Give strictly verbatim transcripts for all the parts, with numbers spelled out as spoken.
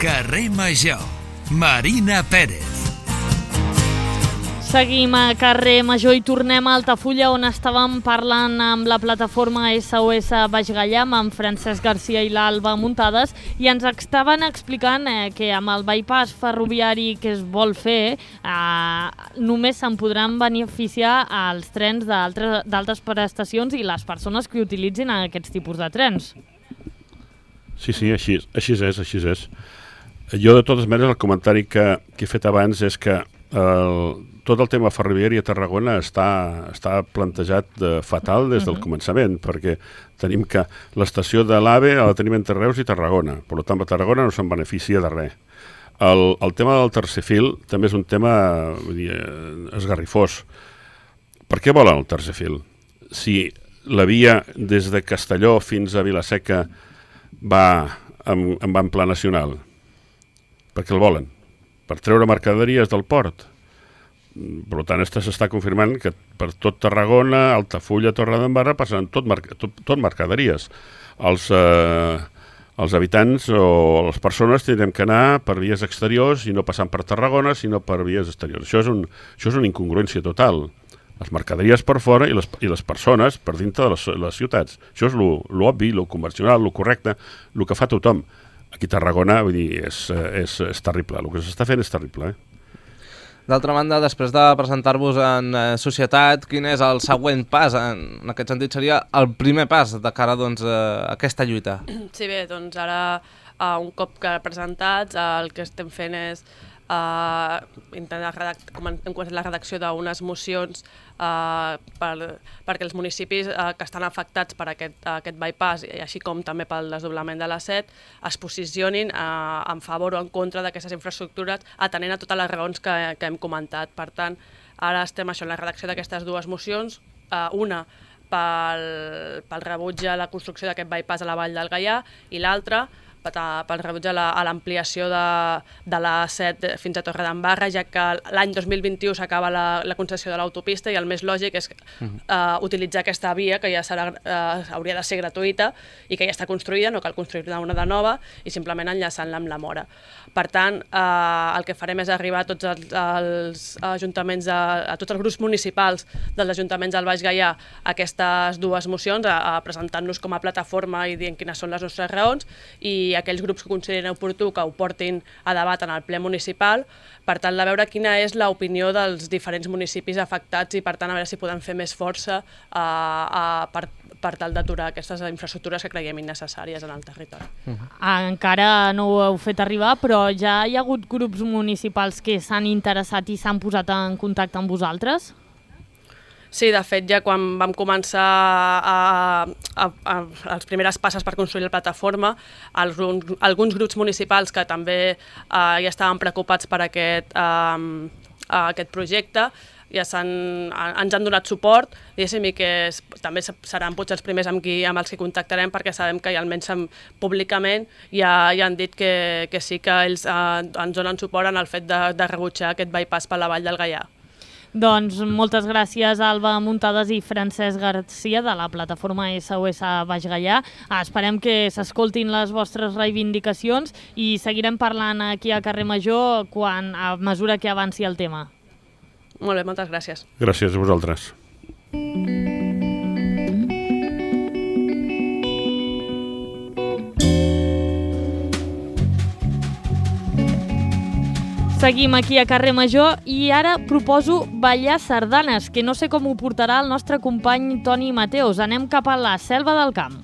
Carrer Major, Marina Pérez. Seguim a Carrer Major i tornem a Altafulla, on estàvem parlant amb la plataforma S O S Baix Gaià, amb Francesc Garcia i l'Alba Muntades, i ens estaven explicant eh, que amb el bypass ferroviari que es vol fer eh, només se'n podran beneficiar els trens d'altes prestacions i les persones que utilitzin aquests tipus de trens. Sí, sí, així, així és, així és. Jo, de totes maneres, el comentari que, que he fet abans és que el, tot el tema ferroviari a Tarragona està, està plantejat de fatal des del començament, perquè tenim que l'estació de l'AVE la tenim entre Reus i Tarragona, per tant a Tarragona no se'n beneficia de res. El, el tema del tercer fil també és un tema vull dir, esgarrifós. Per què volen el tercer fil? Si la via des de Castelló fins a Vila-seca va en, en van pla nacional, per què el volen? Per treure mercaderies del port. Per tant, s'està confirmant que per tot Tarragona, Altafulla, Torredembarra passaran tot, tot, tot mercaderies. Els, eh, els habitants o les persones tindrem que anar per vies exteriors i no passant per Tarragona, sinó per vies exteriors. Això és, un, això és una incongruència total. Les mercaderies per fora i les, i les persones per dintre de les, les ciutats. Això és l'obvi, el convencional, el correcte, el que fa tothom. Aquí a Tarragona, vull dir, és, és, és terrible. El que s'està fent és terrible, eh? D'altra banda, després de presentar-vos en eh, societat, quin és el següent pas? En, en aquest sentit seria el primer pas de cara doncs, a aquesta lluita. Sí, bé, doncs ara, uh, un cop que presentats, uh, el que estem fent és uh, intentar redactar, hem començat la redacció d'unes mocions uh, per, perquè els municipis uh, que estan afectats per aquest, uh, aquest bypass, i així com també pel desdoblament de la set, es posicionin uh, en favor o en contra d'aquestes infraestructures, atenent a totes les raons que, que hem comentat. Per tant, ara estem això, en la redacció d'aquestes dues mocions, uh, una pel, pel rebuig a la construcció d'aquest bypass a la Vall del Gaià i l'altra pel rebuig a l'ampliació de, de la set fins a Torredembarra, ja que l'any dos mil vint-i-u s'acaba la, la concessió de l'autopista i el més lògic és uh, utilitzar aquesta via que ja serà, uh, hauria de ser gratuïta i que ja està construïda, no cal construir-ne una de nova i simplement enllaçant-la amb la Móra. Per tant, uh, el que farem és arribar a tots els, els ajuntaments, a, a tots els grups municipals dels ajuntaments del Baix Gaià aquestes dues mocions, a, a presentant-nos com a plataforma i dient quines són les nostres raons, i aquells grups que considerin oportú que ho portin a debat en el ple municipal, per tal de veure quina és l'opinió dels diferents municipis afectats i per tant a veure si podem fer més força uh, uh, per, per tal d'aturar aquestes infraestructures que creiem innecessàries en el territori. Uh-huh. Encara no ho heu fet arribar, però ja hi ha hagut grups municipals que s'han interessat i s'han posat en contacte amb vosaltres? Sí, de fet, ja quan vam començar a, a, a, a les primeres passes per construir la plataforma, alguns, alguns grups municipals que també eh, ja estaven preocupats per aquest, eh, aquest projecte, ja han, ens han donat suport, diguéssim, i que és, també seran potser els primers amb, qui, amb els que contactarem, perquè sabem que almenys públicament ja, ja han dit que, que sí que ells eh, ens donen suport en el fet de, de rebutjar aquest bypass per la Vall del Gaià. Doncs moltes gràcies, Alba Muntades i Francesc Garcia, de la plataforma S O S Baix Gaià. Esperem que s'escoltin les vostres reivindicacions i seguirem parlant aquí a Carrer Major quan, a mesura que avanci el tema. Molt bé, moltes gràcies. Gràcies a vosaltres. Seguim aquí a Carrer Major i ara proposo ballar sardanes, que no sé com ho portarà el nostre company Toni Mateos. Anem cap a la Selva del Camp.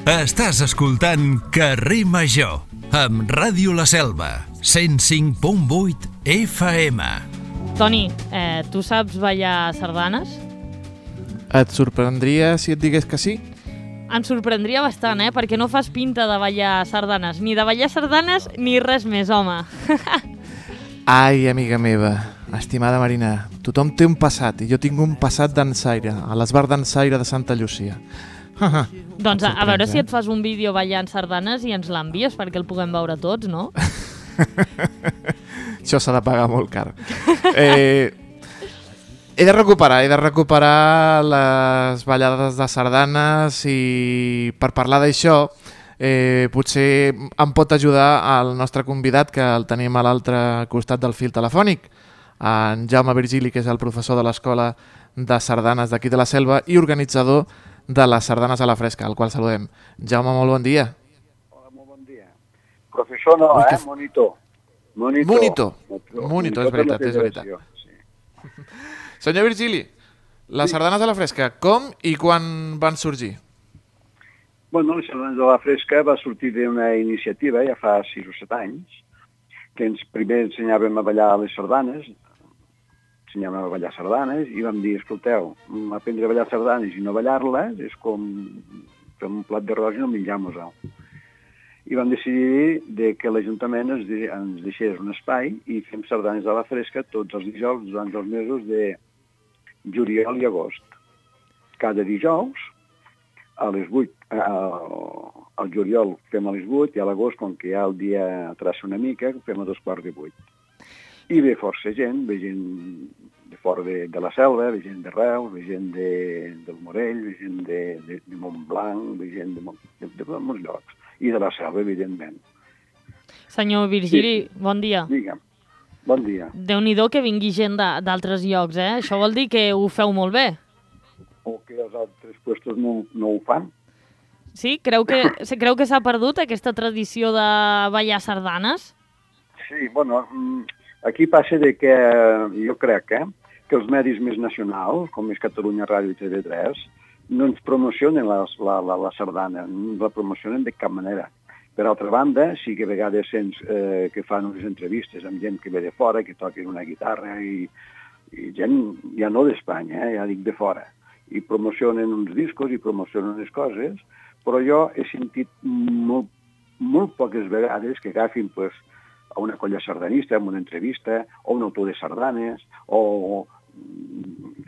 Estàs escoltant Carrer Major, amb Ràdio La Selva, cent cinc punt vuit F M. Toni, eh, tu saps ballar sardanes? Et sorprendria si et digués que sí? Em sorprendria bastant, eh? Perquè no fas pinta de ballar sardanes. Ni de ballar sardanes, ni res més, home. Ai, amiga meva, estimada Marina, tothom té un passat i jo tinc un passat dansaire, a l'esbar dansaire de Santa Llúcia. Doncs a, a veure si et fas un vídeo ballant sardanes i ens l'envies perquè el puguem veure tots, no? Això s'ha de pagar molt car. Eh... He de recuperar, he de recuperar les ballades de sardanes i per parlar d'això Eh, potser em pot ajudar el nostre convidat, que el tenim a l'altre costat del fil telefònic, en Jaume Virgili, que és el professor de l'Escola de Sardanes d'aquí de la Selva i organitzador de les sardanes a la fresca, al qual saludem. Jaume, molt bon dia. Hola, molt bon dia. Professor no, Ui, eh? que... Monitor. Monitor. Monitor, Monitor, Monitor és veritat, és veritat. Sí. Senyor Virgili, les sí. sardanes a la fresca, com i quan van sorgir? Bueno, les sardanes a la fresca va sortir d'una iniciativa ja fa sis o set anys, que ens primer ensenyàvem a ballar les sardanes, ensenyàvem a ballar sardanes, i vam dir, escolteu, aprendre a ballar sardanes i no ballar-les és com fer un plat d'arròs i no menjar-nos-ho. I vam decidir de que l'Ajuntament ens, de, ens deixés un espai i fem sardanes a la fresca tots els dijous durant els mesos de juliol i agost. Cada dijous, a les vuit, al juliol fem a les vuit i a l'agost, com que ja el dia traça una mica, fem a dos quarts de vuit. I ve força gent, ve gent de fora de, de la Selva, ve gent de Reus, ve gent de, del Morell, ve gent de, de, de Montblanc, ve gent de, de, de, de molts llocs, i de la Selva, evidentment. Senyor Virgili, sí. Bon dia. Digue'm, bon dia. Déu-n'hi-do que vingui gent d'altres llocs, eh? Això vol dir que ho feu molt bé. O que els altres puestos no, no ho fan. Sí? Creu que, creu que s'ha perdut aquesta tradició de ballar sardanes? Sí, bueno, aquí passa de que jo crec eh, que els medis més nacionals, com és Catalunya Ràdio i T V tres, no ens promocionen la, la, la, la sardana, no la promocionen de cap manera. Per altra banda, sí que a vegades sents eh, que fan unes entrevistes amb gent que ve de fora, que toquen una guitarra i, i gent ja no d'Espanya, eh, ja dic de fora. I promocionen uns discos i promocionen unes coses, però jo he sentit molt, molt poques vegades que agafin pues, a una colla sardanista, en una entrevista, o un autor de sardanes, o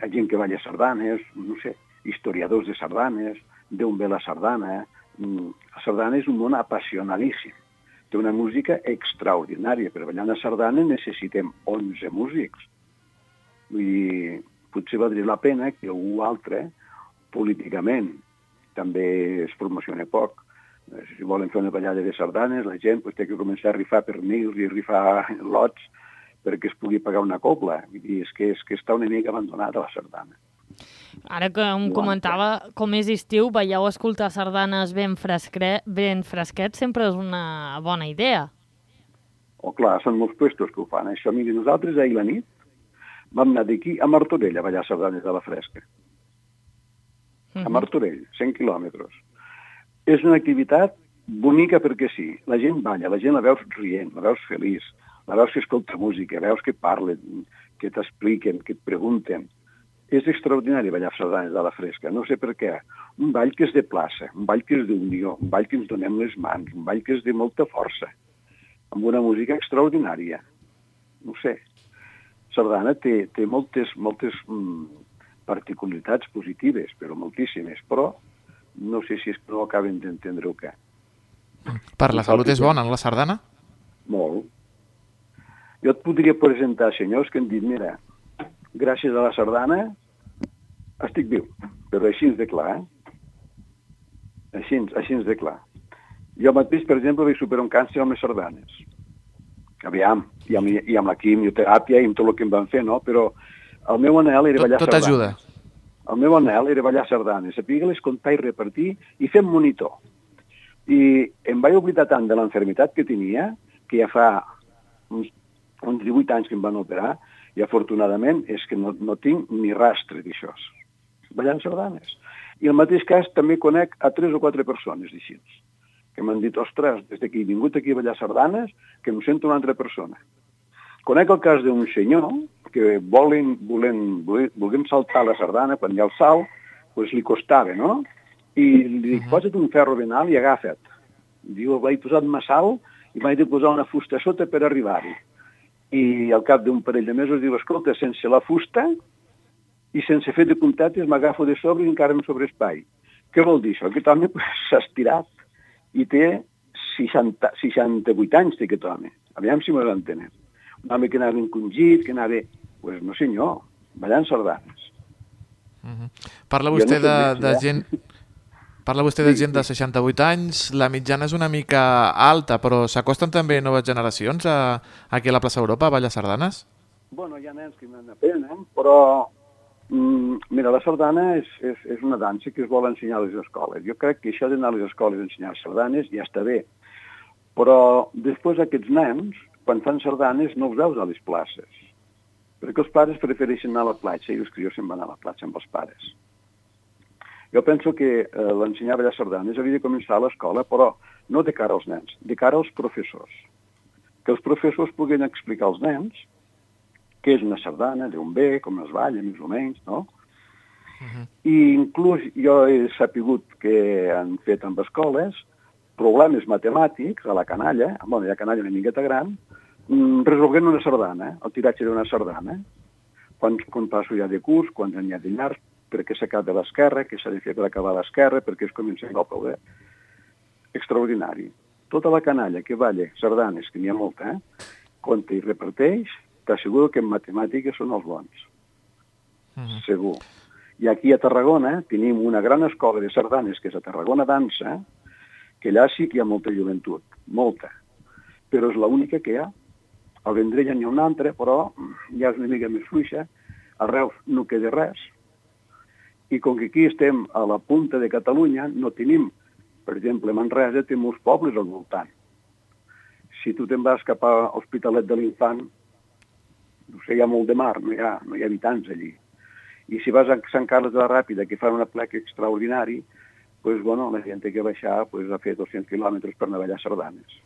a gent que balla sardanes, no sé, historiadors de sardanes, d'on ve la sardana. La sardana és un món apassionadíssim. Té una música extraordinària. Per ballar una sardana necessitem onze músics. Vull dir, potser valdria la pena que algú altre, políticament, també es promociona poc. Si volen fer una ballada de sardanes, la gent pues, té que començar a rifar pernils i rifar lots perquè es pugui pagar una cobla. Vull dir, és que, és que està una mica abandonada la sardana. Ara que em comentava com és estiu, veieu escoltar sardanes ben, fresque, ben fresquets sempre és una bona idea. Oh, clar, són molts puestos que ho fan. Això, miri, nosaltres ahir la nit vam anar d'aquí a Martorell a ballar sardanes a la fresca. A Martorell, cent quilòmetres. És una activitat bonica perquè sí. La gent balla, la gent la veus rient, la veus feliç, la veus que escolta música, veus que parlen, que t'expliquen, que et pregunten. És extraordinari ballar sardanes a la fresca, no sé per què. Un ball que és de plaça, un ball que és d'unió, un ball que ens donem les mans, un ball que és de molta força, amb una música extraordinària. No sé. Sardana té, té moltes, moltes mm, particularitats positives, però moltíssimes, però no sé si és que no acaben d'entendre o què. Per la salut és bona, no, la sardana? Molt. Jo et podria presentar senyors que han dit, mira, gràcies a la sardana estic viu, però així ens de clar, eh? Així, així ens de clar. Jo mateix, per exemple, vaig superar un càncer amb les sardanes. Aviam, i amb, i amb la quimioteràpia i amb tot el que em van fer, no? Però el meu anhel era tot, ballar tot sardanes. Tot ajuda. El meu anhel era ballar sardanes, saber-les comptar i repartir i fer monitor. I em vaig oblidar tant de l'enfermitat que tenia, que ja fa uns, uns divuit anys que em van operar, i afortunadament és que no, no tinc ni rastre d'això. Ballant sardanes. I el mateix cas també conec a tres o quatre persones d'així, que m'han dit, ostres, des que he vingut aquí a ballar sardanes, que em sento una altra persona. Conec el cas d'un senyor que volen, volen, volem saltar la sardana, quan hi ha el salt, doncs li costava, no? I li dic, posa't un ferro ben alt i agafa't. Diu, vaig posar massa alt i vaig de posar una fusta sota per arribar-hi. I al cap d'un parell de mesos diu, escolta, sense la fusta i sense fer de puntetes m'agafo de sobre i encara em sobre espai. Què vol dir això? Aquest home s'ha estirat i té seixanta, seixanta-vuit anys, té aquest home. Aviam si m'ho entenen. Un home que anava encongit, que anava... Pues no senyor, ballant sardanes. Uh-huh. Parla vostè no de, de gent... Parla vostè de gent de seixanta-vuit anys, la mitjana és una mica alta, però s'acosten també noves generacions a, aquí a la plaça Europa, a Vall de Sardanes? Bueno, hi ha nens que n'aprenen, però mm, mira, la sardana és, és, és una dansa que es vol ensenyar a les escoles. Jo crec que això d'anar a les escoles a ensenyar sardanes ja està bé, però després aquests nens, quan fan sardanes, no els veus a les places, perquè els pares prefereixen anar a la platja i els crios se'n van a la platja amb els pares. Jo penso que eh, l'ensenyar a ballar sardanes hauria de començar a l'escola, però no de cara als nens, de cara als professors. Que els professors puguin explicar als nens què és una sardana, d'on ve, com es balla, més o menys, no? Uh-huh. I inclús jo he sapigut que han fet amb escoles problemes matemàtics a la canalla, bueno, hi ha canalla una miqueta gran, resolguent una sardana, el tiratge d'una sardana. Quants compassos hi ha de curs, quants n'hi ha de llarg, per què s'acaba a l'esquerra, què s'ha de fer per acabar a l'esquerra, per què es comença a poder. Extraordinari. Tota la canalla que balla sardanes, que n'hi ha molta, eh, compta i reparteix, t'asseguro que en matemàtiques són els bons. Uh-huh. Segur. I aquí a Tarragona tenim una gran escola de sardanes, que és a Tarragona Dansa, que allà sí que hi ha molta joventut, molta. Però és l'única que hi ha. Al Vendrell n'hi ha una altra, però ja és una mica més fluixa. A Reus no queda res. I com que aquí estem a la punta de Catalunya, no tenim, per exemple, Manresa té molts pobles al voltant. Si tu te'n vas cap a l'Hospitalet de l'Infant, no sé, hi ha molt de mar, no hi ha, no hi ha habitants allí. I si vas a Sant Carles de la Ràpida, que fan una plec extraordinari, pues, bueno, la gent té que baixar pues, a fer dos-cents quilòmetres per anar a ballar sardanes.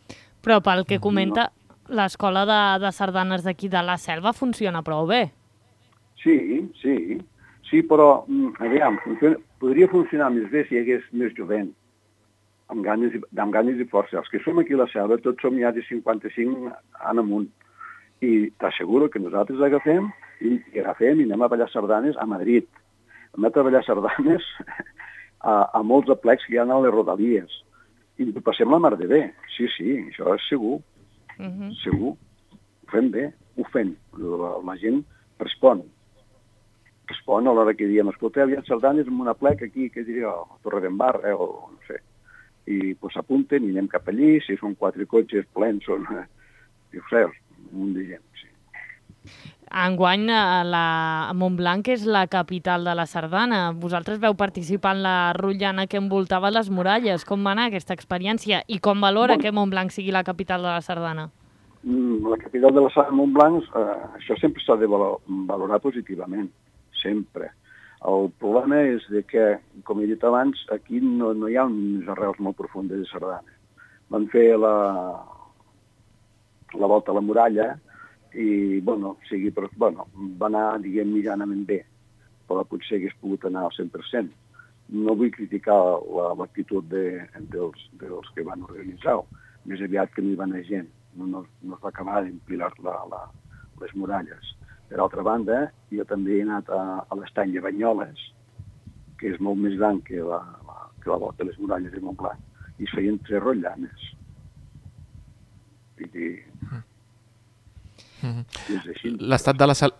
Però pel que comenta, no. L'escola de, de sardanes d'aquí de la Selva funciona prou bé. Sí, sí. Sí, però, aviam, funciona, podria funcionar més bé si hi hagués més jovent, amb ganes, i, amb ganes i força. Els que som aquí a la Selva, tots som ja de cinquanta-cinc en amunt. I t'asseguro que nosaltres agafem i, i agafem i anem a ballar sardanes a Madrid. Anem a ballar sardanes a, a molts aplecs que hi ha a les rodalies. I ho passem la mar de bé. Sí, sí, això és segur. Uh-huh. Segur. Ho fem bé, ho fem. La, la gent respon. Respon a l'hora que diem, escolteu, hi ha sardanes en una plec aquí, que diria, a Torredembarra, o no sé. I pues, s'apunten i anem cap allí, si són quatre cotxes plens, són, eh, ho sé, un munt de gent, sí. Enguany, la Montblanc és la capital de la sardana. Vosaltres veu participar en la rotllana que envoltava les muralles. Com va anar aquesta experiència? I com valora bon. que Montblanc sigui la capital de la sardana? La capital de la sardana Montblanc, eh, això sempre s'ha de valorar positivament. Sempre. El problema és de que, com he dit abans, aquí no, no hi ha unes arrels molt profundes de sardana. Van fer la, la volta a la muralla i, bueno, sigui, però, bueno, va anar, diguem, mitjanament bé, però potser hagués pogut anar al cent per cent. No vull criticar l'actitud de, dels, dels que van organitzar-ho, més aviat que no hi va anar gent, no, no, no es va acabar d'empilar la, la, les muralles. Per altra banda, jo també he anat a, a l'estany de Banyoles, que és molt més gran que la, la, que la volta de les muralles de Montblanc, i es feien tres rotllanes. I, i, mm-hmm. és així. L'estat de la sal...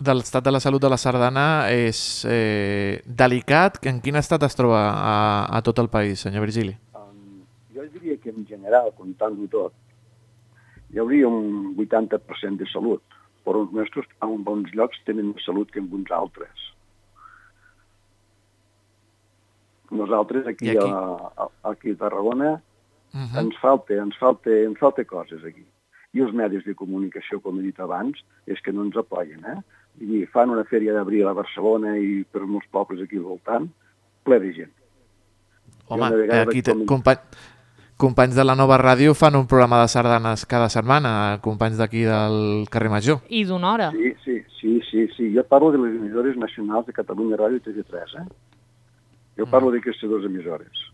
de l'estat de la salut de la sardana és eh, delicat. En quin estat es troba a, a tot el país, senyor Virgili? Um, jo diria que en general, comptant-ho tot, hi hauria un vuitanta per cent de salut, però els nostres en bons llocs tenen més salut que en uns altres. Nosaltres aquí, aquí? A, a, aquí a Tarragona uh-huh. ens, falta, ens, falta, ens falta coses aquí. I els medis de comunicació, com he dit abans, és que no ens apoyen. Eh? I fan una fèria d'abril a Barcelona i per molts pobles aquí al voltant, ple de gent. Home, aquí te, company... companys de la Nova Ràdio fan un programa de sardanes cada setmana, companys d'aquí del carrer Major. I d'una hora. Sí, sí, sí, sí, sí. Jo parlo de les emissores nacionals de Catalunya Ràdio i T V tres, eh? Jo parlo mm. d'aquestes dues emissores.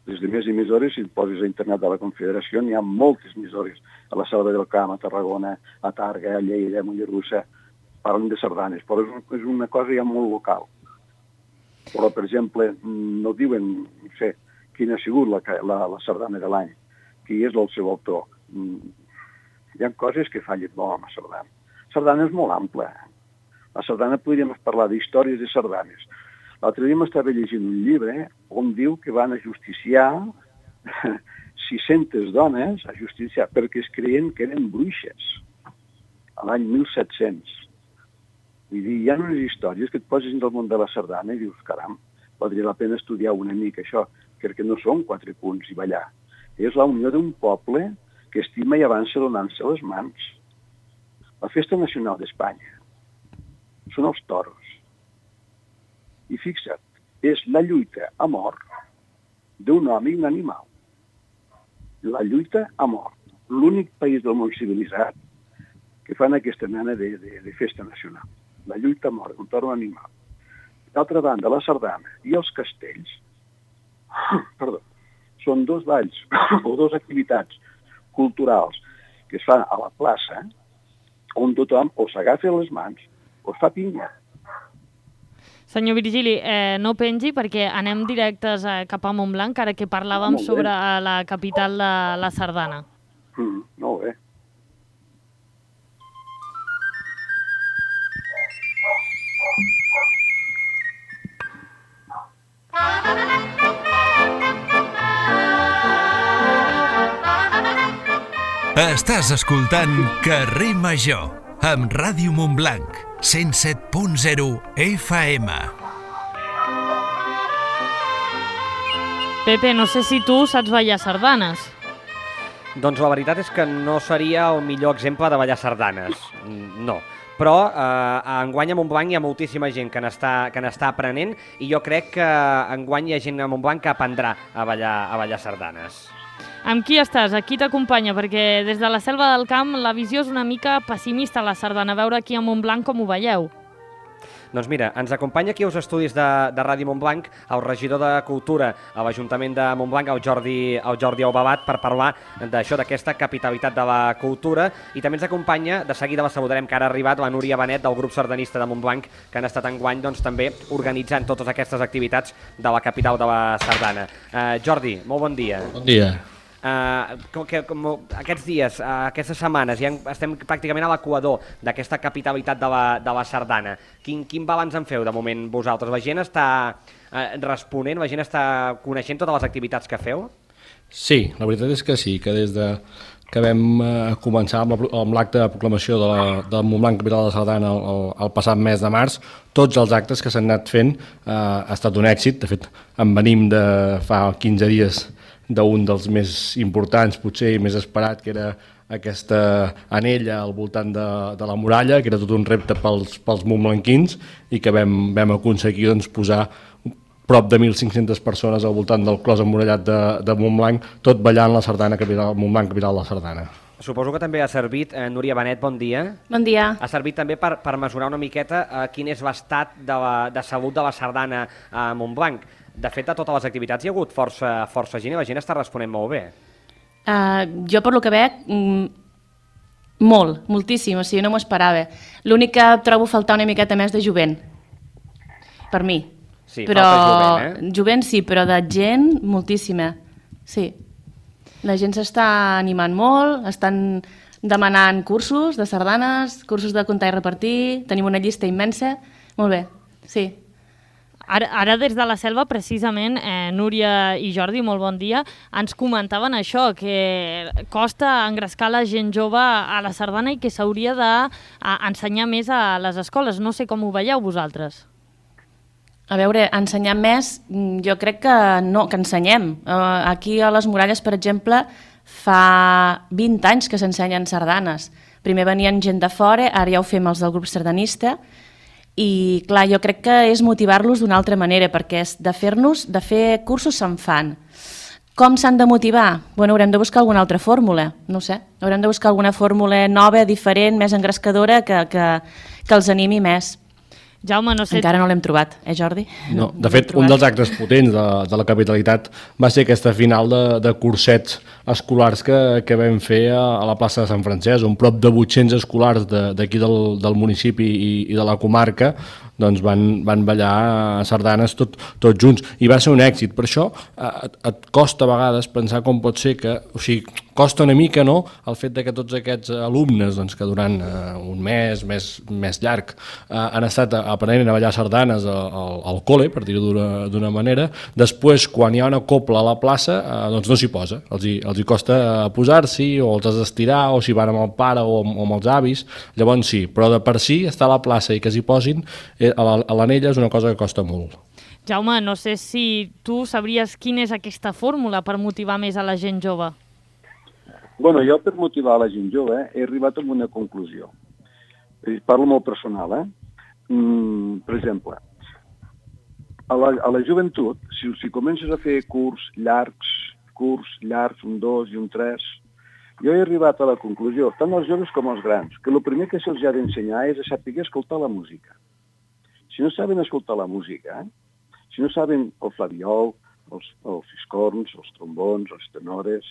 Les demés emissores, si et poses a internet de la Confederació, n'hi ha moltes emissores. A la Selva del Camp, a Tarragona, a Targa, a Lleida, a Mollerussa, parlen de sardanes, però és una cosa ja molt local. Però, per exemple, no diuen, no sé, quina ha sigut la, la, la sardana de l'any, qui és el seu autor. Hi ha coses que fallen molt amb la sardana. La sardana és molt ampla. La sardana podríem parlar d'històries de sardanes. L'altre dia m'estava llegint un llibre on diu que van ajusticiar sis-centes dones a justiciar perquè es creien que eren bruixes a l'any mil set-cents. Vull dir, hi ha unes històries que et poses dins del món de la sardana i dius, caram, valdria la pena estudiar una mica això, perquè no són quatre punts i ballar. És la unió d'un poble que estima i avança donant-se les mans. La festa nacional d'Espanya són els toros. I fixa't, és la lluita a mort d'un home i un animal. La lluita a mort. L'únic país del món civilitzat que fan aquesta mena de, de, de festa nacional. La lluita a mort d'un toro animal. D'altra banda, la sardana i els castells perdó, són dos balls o dues activitats culturals que es fan a la plaça on tothom o s'agafa les mans o es fa pinya. Senyor Virgili, eh, no pengi perquè anem directes eh, cap a Montblanc, ara que parlàvem Ah, sobre eh, la capital de la sardana. Mm, molt bé. Estàs escoltant Carrer Major amb Ràdio Montblanc, cent set punt zero F M. Pepe, no sé si tu saps ballar sardanes. Doncs la veritat és que no seria el millor exemple de ballar sardanes, no. Però eh, enguany a Montblanc hi ha moltíssima gent que n'està que n'està aprenent i jo crec que enguany hi ha gent a Montblanc que aprendrà a ballar, a ballar sardanes. Amb qui estàs? A qui t'acompanya? Perquè des de la Selva del Camp la visió és una mica pessimista a la sardana. A veure aquí a Montblanc com ho veieu. Doncs mira, ens acompanya aquí als estudis de, de Ràdio Montblanc el regidor de Cultura a l'Ajuntament de Montblanc, el Jordi, el Jordi Aubabat, per parlar d'això, d'aquesta capitalitat de la cultura. I també ens acompanya, de seguida la saludarem, que ara ha arribat la Núria Benet del grup sardanista de Montblanc, que han estat enguany doncs, també organitzant totes aquestes activitats de la capital de la sardana. Uh, Jordi, molt bon dia. Bon dia. Uh, com que, com, aquests dies, uh, aquestes setmanes, ja estem pràcticament a l'equador d'aquesta capitalitat de la, de la sardana. Quin, quin balanç en feu de moment vosaltres? La gent està uh, responent, la gent està coneixent totes les activitats que feu? Sí, la veritat és que sí, que des de que vam uh, començar amb l'acte de proclamació de, la, de Montblanc Capital de la Sardana el, el, el passat mes de març, tots els actes que s'han anat fent uh, ha estat un èxit. De fet, en venim de fa quinze dies d'un dels més importants, potser i més esperat, que era aquesta anella al voltant de, de la muralla, que era tot un repte pels, pels montblanquins i que vam, vam aconseguir doncs, posar prop de mil cinc-centes persones al voltant del clos emmurallat de, de Montblanc, tot ballant la sardana capital, Montblanc Capital de la Sardana. Suposo que també ha servit, eh, Núria Benet, bon dia. Bon dia. Ha servit també per, per mesurar una miqueta eh, quin és l'estat de, la, de salut de la sardana a Montblanc. De fet, a totes les activitats hi ha hagut força, força gent i la gent està responent molt bé. Uh, jo, per lo que veig, mm, molt, moltíssim, o sigui, no m'ho esperava. L'únic que trobo faltar una miqueta més de jovent, per mi. Sí, però, falta jovent, eh? Jovent sí, però de gent, moltíssima. Sí. La gent s'està animant molt, estan demanant cursos de sardanes, cursos de comptar i repartir, tenim una llista immensa. Molt bé, sí. Ara, ara des de la Selva, precisament, eh, Núria i Jordi, molt bon dia, ens comentaven això, que costa engrescar la gent jove a la sardana i que s'hauria d'ensenyar més a les escoles. No sé com ho veieu vosaltres. A veure, ensenyar més, jo crec que no, que ensenyem. Uh, aquí a les Muralles, per exemple, fa vint anys que s'ensenyen sardanes. Primer venien gent de fora, ara ja ho fem els del grup sardanista, i clar, jo crec que és motivar-los d'una altra manera, perquè és de fer-nos, de fer cursos se'n fan. Com s'han de motivar? Bueno, haurem de buscar alguna altra fórmula, no sé. Haurem de buscar alguna fórmula nova, diferent, més engrescadora, que, que, que els animi més. Jaume, no sé... Encara no l'hem trobat, eh, Jordi? No, de fet, un dels actes potents de, de la capitalitat va ser aquesta final de, de cursets escolars que, que vam fer a, a la plaça de Sant Francesc, on prop de vuit-cents escolars d'aquí de, del, del municipi i, i de la comarca doncs van, van ballar sardanes tot, tots junts, i va ser un èxit. Per això et, et costa a vegades pensar com pot ser que, o sigui, costa una mica, no?, el fet de que tots aquests alumnes doncs, que durant eh, un mes, més, més llarg, eh, han estat aprenent a ballar sardanes al, al col·le, per dir-ho d'una manera, després, quan hi ha una copla a la plaça, eh, doncs no s'hi posa. Els hi, els hi costa posar-s'hi, o els has d'estirar, o si van amb el pare o amb, o amb els avis, llavors sí, però de per si estar a la plaça i que s'hi posin, eh, a l'anella és una cosa que costa molt. Jaume, no sé si tu sabries quina és aquesta fórmula per motivar més a la gent jove. Bueno, jo per motivar la gent jove he arribat a una conclusió. Parlo molt personal, eh? Mm, per exemple, a la, a la joventut, si, si comences a fer curs llargs, curs llargs, un dos i un tres, jo he arribat a la conclusió, tant els joves com els grans, que el primer que se'ls ha d'ensenyar és a saber escoltar la música. Si no saben escoltar la música, eh? Si no saben el flabiol, els, els fiscorns, els trombons, els tenores,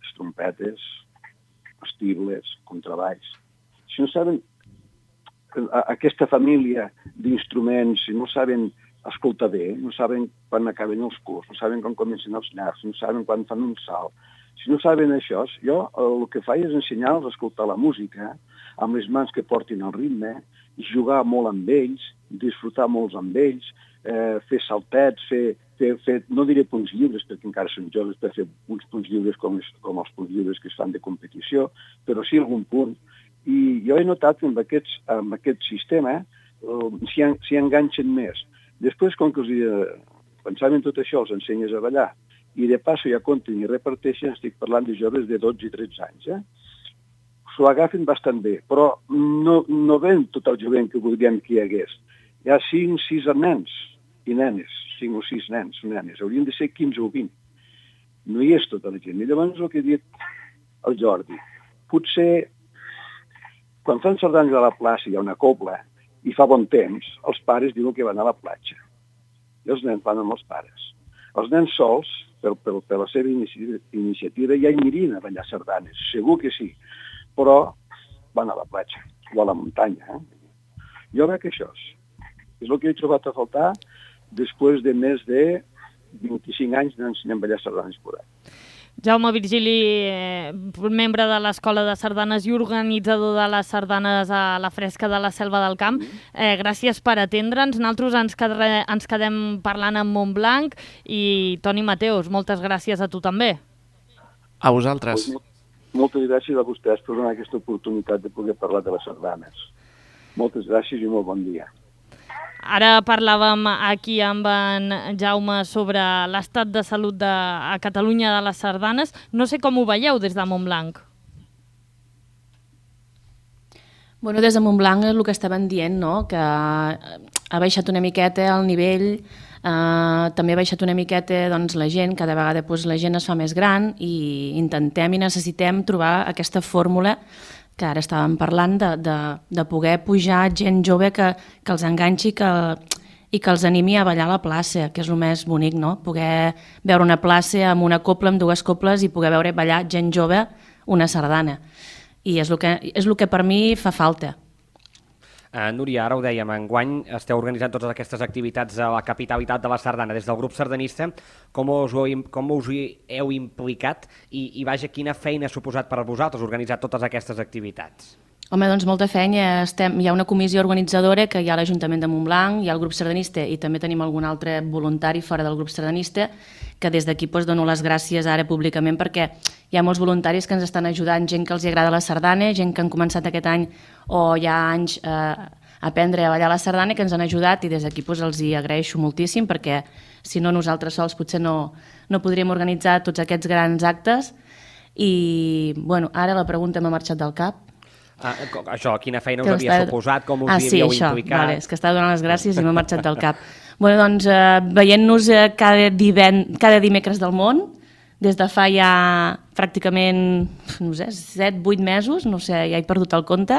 les trompetes, els tibles, contrabaix, si no saben aquesta família d'instruments, si no saben escoltar bé, no saben quan acaben els curs, no saben quan comencen els llargs, no saben quan fan un salt, si no saben això, jo el que faig és ensenyar-los a escoltar la música amb les mans que portin el ritme, jugar molt amb ells, disfrutar molts amb ells, eh, fer saltets, fer, fer, fer, no diré punts lliures, perquè encara són joves per fer uns punts lliures com, com els punts lliures que es fan de competició, però sí algun punt. I jo he notat que amb, aquests, amb aquest sistema eh, s'hi en, enganxen més. Després, com que els, eh, quan saben tot això, els ensenyes a ballar, i de passo ja compten i reparteixen, estic parlant de joves de dotze i tretze anys, eh? S'ho agafen bastant bé, però no, no ven tot el jovent que voldríem que hi hagués. Hi ha cinc o sis nens i nenes, cinc o sis nens o nenes, haurien de ser quinze o vint. No hi és tota la gent. I llavors el que he dit al Jordi, potser quan fan sardanes a la plaça hi ha una cobla i fa bon temps, els pares diuen que van a la platja. I els nens van amb els pares. Els nens sols, per, per, per la seva iniciativa, ja hi mirien a ballar sardanes, segur que sí, però van a la platja o a la muntanya. Eh? Jo crec que això és, és el que he trobat a faltar després de més de vint-i-cinc anys d'ensenyar a ballar sardanes per ahí. Jaume Virgili, eh, membre de l'Escola de Sardanes i organitzador de les sardanes a la Fresca de la Selva del Camp, eh, gràcies per atendre'ns. Nosaltres ens, quedre, ens quedem parlant amb Montblanc i Toni Mateus, moltes gràcies a tu també. A vosaltres. Pues, moltes gràcies a vostès per donar aquesta oportunitat de poder parlar de les sardanes. Moltes gràcies i molt bon dia. Ara parlàvem aquí amb en Jaume sobre l'estat de salut de, a Catalunya de les sardanes. No sé com ho veieu des de Montblanc. Bueno, des de Montblanc és el que estaven dient, no? Que ha baixat una miqueta el nivell, eh, també ha baixat una miqueta doncs, la gent, cada vegada doncs, la gent es fa més gran i intentem i necessitem trobar aquesta fórmula que ara estàvem parlant de, de, de poder pujar gent jove que, que els enganxi que, i que els animi a ballar a la plaça, que és el més bonic, no? Poder veure una plaça amb una copla, amb dues coples i poder veure ballar gent jove una sardana. I és el que, és el que per mi fa falta. Uh, Núria, ara ho dèiem, enguany esteu organitzant totes aquestes activitats a la capitalitat de la sardana. Des del grup sardanista, com us, ho, com us hi heu implicat i, i vaja, quina feina ha suposat per a vosaltres organitzar totes aquestes activitats? Home, doncs molta feina. Estem, hi ha una comissió organitzadora que hi ha l'Ajuntament de Montblanc, hi ha el grup sardanista i també tenim algun altre voluntari fora del grup sardanista que des d'aquí doncs, dono les gràcies ara públicament perquè hi ha molts voluntaris que ens estan ajudant, gent que els agrada la sardana, gent que han començat aquest any o ja anys eh, a aprendre a ballar la sardana que ens han ajudat i des d'aquí doncs, els hi agraeixo moltíssim perquè si no nosaltres sols potser no, no podríem organitzar tots aquests grans actes i bueno, ara la pregunta m'ha marxat del cap. Ah, això, quina feina us que havia estava... suposat, com us ah, hi havíeu sí, això, implicat? Vale, és que estava donant les gràcies i m'ha marxat del cap. Bueno, doncs, eh, veient-nos eh, cada, divent... cada dimecres del món, des de fa ja pràcticament, no sé, set, vuit mesos, no sé, ja he perdut el compte,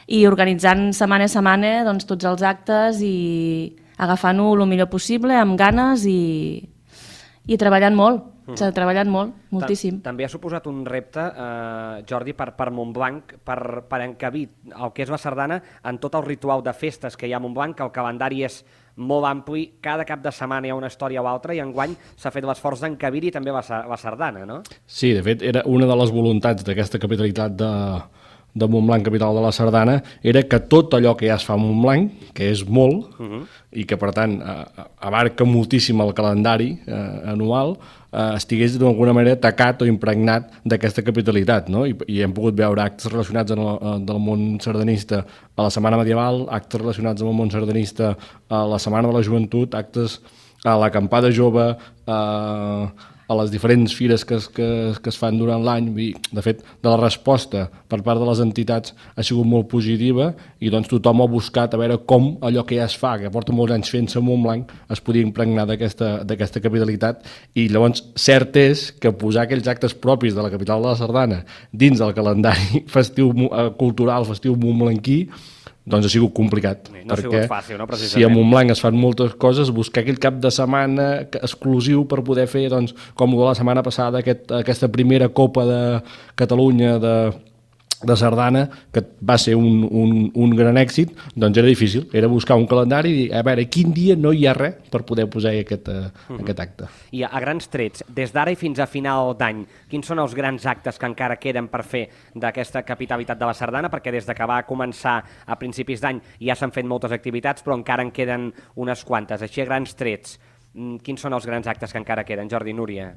i organitzant setmana a setmana doncs, tots els actes i agafant-ho el millor possible, amb ganes i, i treballant molt. S'ha treballat molt, moltíssim. També ha suposat un repte, eh, Jordi, per, per Montblanc, per, per encabir el que és la sardana en tot el ritual de festes que hi ha a Montblanc, que el calendari és molt ampli, cada cap de setmana hi ha una història o altra, i enguany s'ha fet l'esforç d'encabir-hi també la, la sardana, no? Sí, de fet, era una de les voluntats d'aquesta capitalitat de, de Montblanc, capital de la sardana, era que tot allò que ja es fa a Montblanc, que és molt, uh-huh. i que per tant abarca moltíssim el calendari eh, anual, eh, estigués d'alguna manera tacat o impregnat d'aquesta capitalitat, no? I, i hem pogut veure actes relacionats amb el, del món sardanista a la Setmana Medieval, actes relacionats amb el món sardanista a la Setmana de la Joventut, actes a l'acampada jove, eh, a les diferents fires que es, que, que es fan durant l'any. De fet, de la resposta per part de les entitats ha sigut molt positiva, i doncs tothom ha buscat a veure com allò que ja es fa, que porta molts anys fent-se a Montblanc, es podia impregnar d'aquesta capitalitat. I llavors cert és que posar aquells actes propis de la capital de la sardana dins del calendari festiu cultural, festiu montblanquí, doncs ha sigut complicat, no perquè fàcil, no, si a Montblanc es fan moltes coses, buscar aquell cap de setmana exclusiu per poder fer, doncs, com la setmana passada, aquest, aquesta primera Copa de Catalunya de, de sardana, que va ser un, un, un gran èxit, doncs era difícil, era buscar un calendari i dir, a veure, quin dia no hi ha res per poder posar aquest, uh, uh-huh. aquest acte. I a, a grans trets, des d'ara i fins a final d'any, quins són els grans actes que encara queden per fer d'aquesta capitalitat de la sardana? Perquè des de que va començar a principis d'any ja s'han fet moltes activitats, però encara en queden unes quantes. Així a grans trets, quins són els grans actes que encara queden? Jordi, Núria?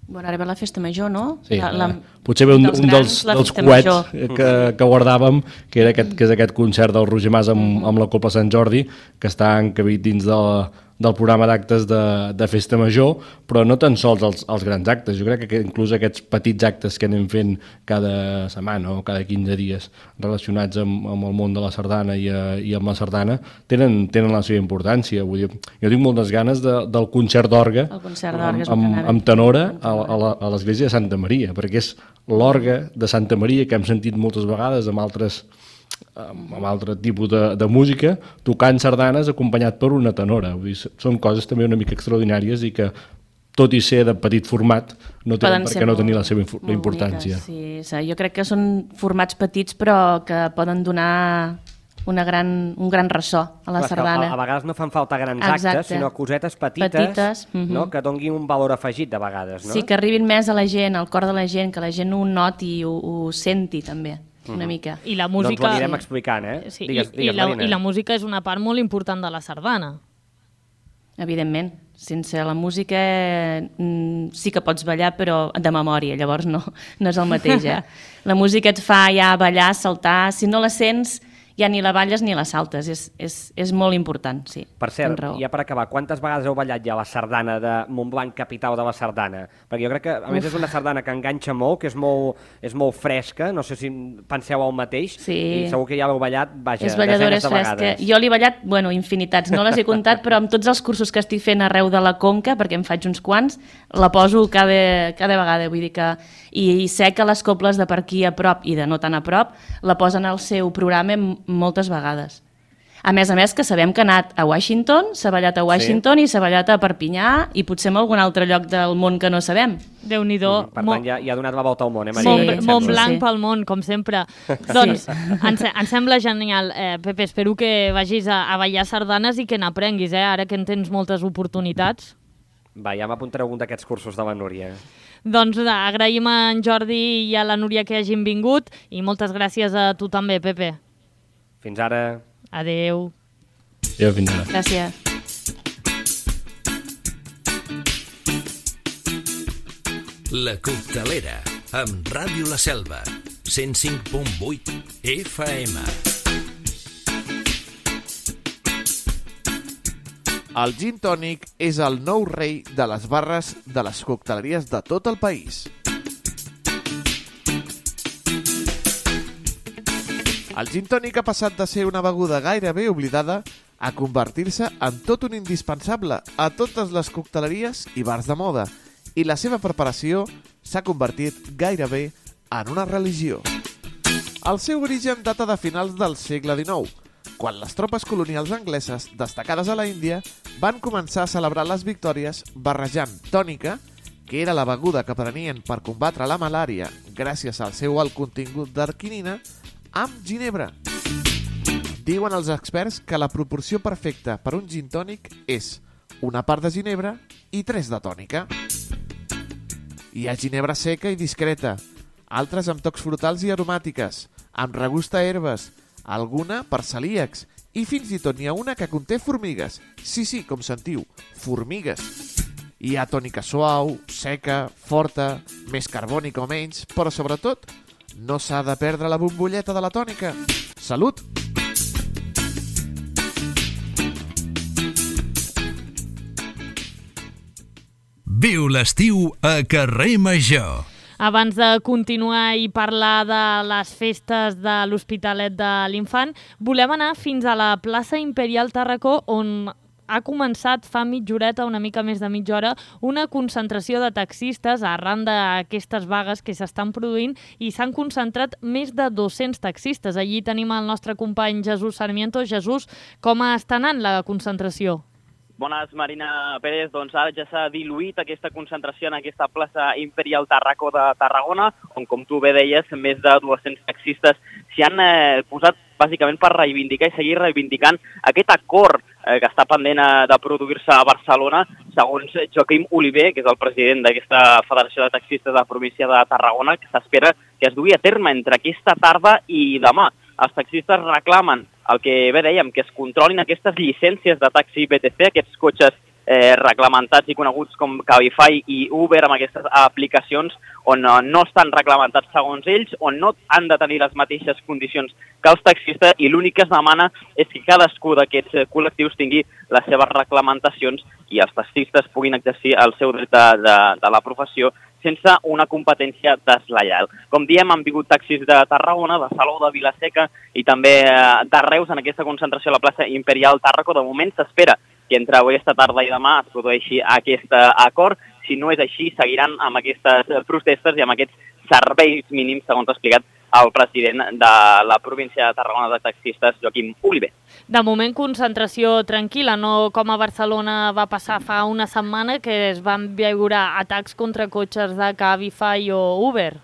Bueno, ara ve la festa major, no? Sí, la, la, potser ve un dels, un dels, grans, dels coets que, que guardàvem, que, era aquest, que és aquest concert del Roger Mas amb, amb la Copla Sant Jordi, que està encabit dins de la, del programa d'actes de, de festa major, però no tan sols els, els grans actes. Jo crec que inclús aquests petits actes que anem fent cada setmana o cada quinze dies relacionats amb, amb el món de la sardana i, a, i amb la sardana tenen, tenen la seva importància. Vull dir, jo tinc moltes ganes de, del concert d'orgue amb, amb, amb tenora a, a, la, a l'església de Santa Maria, perquè és l'orgue de Santa Maria que hem sentit moltes vegades amb altres amb altre tipus de, de música, tocant sardanes acompanyat per una tenora. Vull dir, són coses també una mica extraordinàries i que, tot i ser de petit format, no tenen per què no tenir la seva la importància. Boniques, sí, jo crec que són formats petits però que poden donar una gran, un gran ressò a la sardana. A, a vegades no fan falta grans Exacte. actes, sinó cosetes petites, petites uh-huh. no? que donguin un valor afegit de vegades. No? Sí, que arribin més a la gent, al cor de la gent, que la gent ho noti i ho, ho senti també. Una uh-huh. mica. I la música... Doncs ho anirem explicant, eh? Sí, digues, i, digues, i, la, I la música és una part molt important de la sardana. Evidentment. Sense la música mm, sí que pots ballar, però de memòria, llavors no, no és el mateix. Eh? La música et fa ja ballar, saltar, si no la sents ja ni la balles ni la saltes, és, és, és molt important, sí. Per cert, ja per acabar, quantes vegades heu ballat ja la sardana de Montblanc, capital de la sardana? Perquè jo crec que, a més, Uf. és una sardana que enganxa molt, que és molt, és molt fresca, no sé si penseu el mateix, sí. i segur que ja l'heu ballat, vaja, és balladora, desenes de és vegades. Jo l'he ballat, bueno, infinitats, no les he comptat, però amb tots els cursos que estic fent arreu de la Conca, perquè em faig uns quants, la poso cada, cada vegada, vull dir que... I, i sé que les cobles de per aquí a prop i de no tan a prop la posen al seu programa moltes vegades. A més a més que sabem que ha anat a Washington, s'ha ballat a Washington sí. i s'ha ballat a Perpinyà i potser en algun altre lloc del món que no sabem. Déu-n'hi-do. Mm, per tant, ja, ja ha donat la volta al món, eh, Maria? Sí, Mont, Montblanc sí. pel món, com sempre. Doncs, sí. ens, ens sembla genial. Eh, Pepe, espero que vagis a, a ballar sardanes i que n'aprenguis, eh, ara que en tens moltes oportunitats. Va, ja m'apuntaré algun d'aquests cursos de la Núria. Doncs agraïm a en Jordi i a la Núria que hagin vingut i moltes gràcies a tu també, Pepe. Fins ara. Adeu. Adéu, fins ara. Gràcies. La Coctelera, amb Ràdio La Selva, cent cinc punt vuit F M. El gin tònic és el nou rei de les barres de les cocteleries de tot el país. El gin tònic ha passat de ser una beguda gairebé oblidada a convertir-se en tot un indispensable a totes les cocteleries i bars de moda, i la seva preparació s'ha convertit gairebé en una religió. El seu origen data de finals del segle dinou, quan les tropes colonials angleses destacades a la Índia van començar a celebrar les victòries barrejant tònica, que era la beguda que prenien per combatre la malària gràcies al seu alt contingut d'arquinina, amb ginebra. Diuen els experts que la proporció perfecta per un gin tònic és una part de ginebra i tres de tònica. Hi ha ginebra seca i discreta, altres amb tocs frutals i aromàtiques, amb regust a herbes, alguna per celíacs, i fins i tot n'hi ha una que conté formigues. Sí, sí, com sentiu, formigues. Hi ha tònica suau, seca, forta, més carbònica o menys, però sobretot no s'ha de perdre la bombolleta de la tònica. Salut! Viu l'estiu a Carrer Major. Abans de continuar i parlar de les festes de l'Hospitalet de l'Infant, volem anar fins a la plaça Imperial Tàrraco, on ha començat fa mitja horeta, una mica més de mitja hora, una concentració de taxistes arran d'aquestes vagues que s'estan produint, i s'han concentrat més de dos-cents taxistes. Allí tenim el nostre company Jesús Sarmiento. Jesús, com està anant la concentració? Bones, Marina Pérez. Doncs ara ja s'ha diluït aquesta concentració en aquesta plaça Imperial Tàrraco de Tarragona, on, com tu bé deies, més de dos-cents taxistes s'hi han eh, posat bàsicament per reivindicar i seguir reivindicant aquest acord eh, que està pendent eh, de produir-se a Barcelona, segons Joaquim Oliver, que és el president d'aquesta Federació de Taxistes de la província de Tarragona, que s'espera que es dugui a terme entre aquesta tarda i demà. Els taxistes reclamen el que bé dèiem, que es controlin aquestes llicències de taxi B T C, aquests cotxes eh, reglamentats i coneguts com Cabify i Uber, amb aquestes aplicacions on eh, no estan reglamentats segons ells, on no han de tenir les mateixes condicions que els taxistes, i l'únic que es demana és que cadascú d'aquests col·lectius tingui les seves reglamentacions i els taxistes puguin exercir el seu dret de, de, de la professió sense una competència deslleial. Com diem, han vingut taxis de Tarragona, de Salou, de Vilaseca i també de Reus en aquesta concentració a la plaça Imperial Tàrraco. De moment s'espera que entre avui, esta tarda i demà es produeixi aquest acord. Si no és així, seguiran amb aquestes protestes i amb aquests serveis mínims, segons ha explicat el president de la província de Tarragona de taxistes, Joaquim Oliver. De moment, concentració tranquil·la, no com a Barcelona va passar fa una setmana, que es van veure atacs contra cotxes de Cabify o Uber.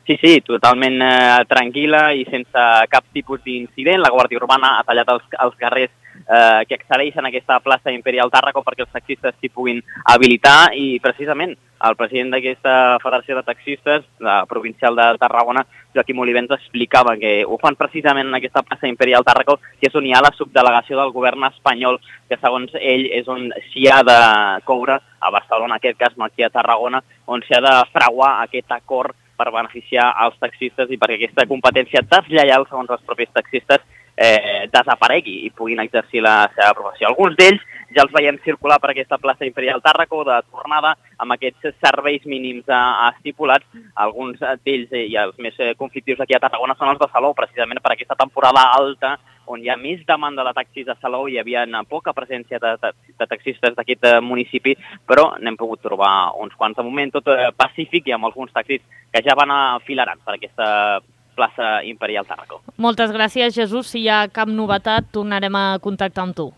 Sí, sí, totalment eh, tranquil·la i sense cap tipus d'incident. La Guàrdia Urbana ha tallat els, els carrers eh, que accedeixen a aquesta plaça Imperial Tàrraco perquè els taxistes s'hi puguin habilitar, i precisament el president d'aquesta Federació de Taxistes, la provincial de Tarragona, Joaquim Oliver, ens explicava que ho fan precisament en aquesta plaça Imperial Tàrraco, que és on hi ha la subdelegació del govern espanyol, que segons ell és on s'hi ha de coure, a Barcelona, en aquest cas, no aquí a Tarragona, on s'hi ha de fraguar aquest acord per beneficiar els taxistes i perquè aquesta competència deslleial, segons els propis taxistes, eh, desaparegui i puguin exercir la seva professió. Alguns d'ells ja els veiem circular per aquesta plaça Imperial Tàrraco de tornada amb aquests serveis mínims estipulats. Alguns d'ells i els més conflictius aquí a Tarragona són els de Salou, precisament per aquesta temporada alta on hi ha més demanda de taxis a Salou. Hi havia poca presència de, de, de taxistes d'aquest municipi, però n'hem pogut trobar uns quants. De moment tot pacífic i amb alguns taxis que ja van afilarant per aquesta plaça Imperial Tàrraco. Moltes gràcies, Jesús. Si hi ha cap novetat, tornarem a contactar amb tu.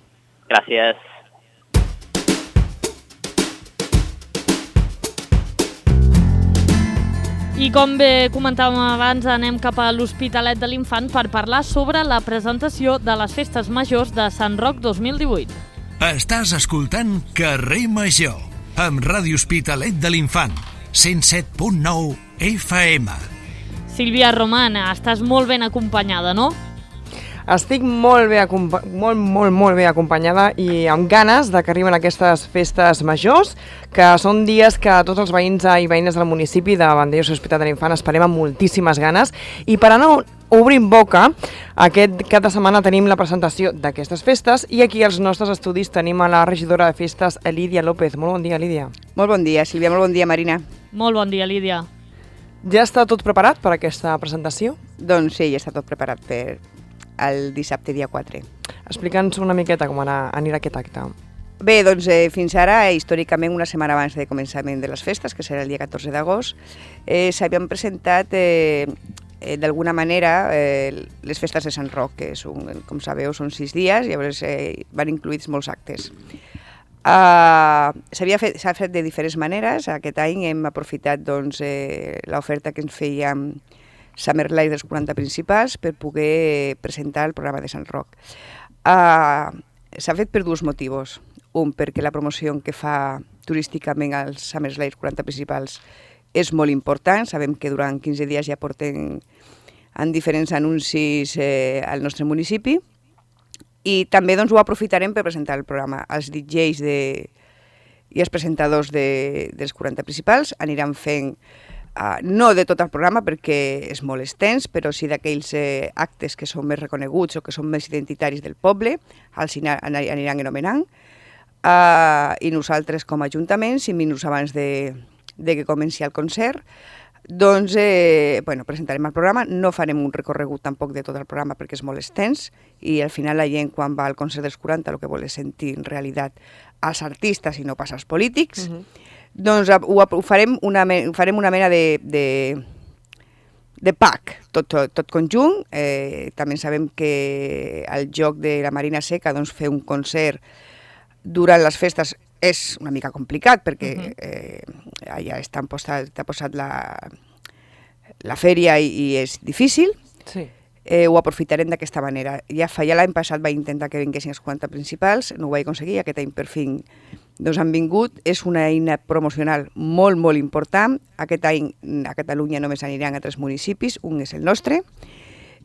Gràcies. I com bé comentàvem abans, anem cap a l'Hospitalet de l'Infant per parlar sobre la presentació de les Festes Majors de Sant Roc dos mil divuit. Estàs escoltant Carrer Major, amb Ràdio Hospitalet de l'Infant, cent set punt nou F M. Sílvia Roman, estàs molt ben acompanyada, no? Estic molt bé, molt, molt, molt bé acompanyada i amb ganes de que arriben aquestes festes majors, que són dies que tots els veïns i veïnes del municipi de Vandellòs i Hospitalet de l'Infant esperem amb moltíssimes ganes. I per anar obrint boca, aquest cap de setmana tenim la presentació d'aquestes festes i aquí als nostres estudis tenim a la regidora de festes, Lídia López. Molt bon dia, Lídia. Molt bon dia, Sílvia. Molt bon dia, Marina. Molt bon dia, Lídia. Ja està tot preparat per aquesta presentació? Doncs sí, ja està tot preparat per el dissabte dia quatre. Explica'ns una miqueta com anar, anirà aquest acte. Bé, doncs eh, fins ara, històricament, una setmana abans de començament de les festes, que serà el dia catorze d'agost, eh, s'havien presentat eh, eh, d'alguna manera eh, les festes de Sant Roc, que són, com sabeu són sis dies, i llavors eh, van incluïts molts actes. Uh, s'havia fet, s'ha fet de diferents maneres. Aquest any hem aprofitat doncs, eh, l'oferta que ens feia Summer Live dels quaranta principals per poder presentar el programa de Sant Roc. Uh, S'ha fet per dos motius. Un, perquè la promoció que fa turísticament als Summer Live quaranta principals és molt important. Sabem que durant quinze dies ja porten en diferents anuncis eh, al nostre municipi. I també doncs, ho aprofitarem per presentar el programa. Els D Js de, i els presentadors de, dels quaranta principals aniran fent, uh, no de tot el programa perquè és molt extens, però sí d'aquells eh, actes que són més reconeguts o que són més identitaris del poble, els aniran anomenant. Uh, I nosaltres com a Ajuntament, cinc minuts abans de, de que comenci el concert, doncs eh, bueno, presentarem el programa. No farem un recorregut tampoc de tot el programa perquè és molt extens i al final la gent quan va al concert dels quaranta el que vol és sentir en realitat als artistes i no pas als polítics. Uh-huh. Doncs ho, ho farem, una, farem una mena de, de, de pack, tot, tot, tot conjunt. Eh, també sabem que el joc de la Marina Seca doncs, fer un concert durant les festes és una mica complicat perquè uh-huh. eh, allà està posat, està posat la, la fèria i, i és difícil. Sí. Eh, ho aprofitarem d'aquesta manera. Ja fa ja l'any passat vaig intentar que vinguessin els quaranta principals, no ho vaig aconseguir, aquest any per fi doncs han vingut. És una eina promocional molt, molt important. Aquest any a Catalunya només aniran a tres municipis, un és el nostre.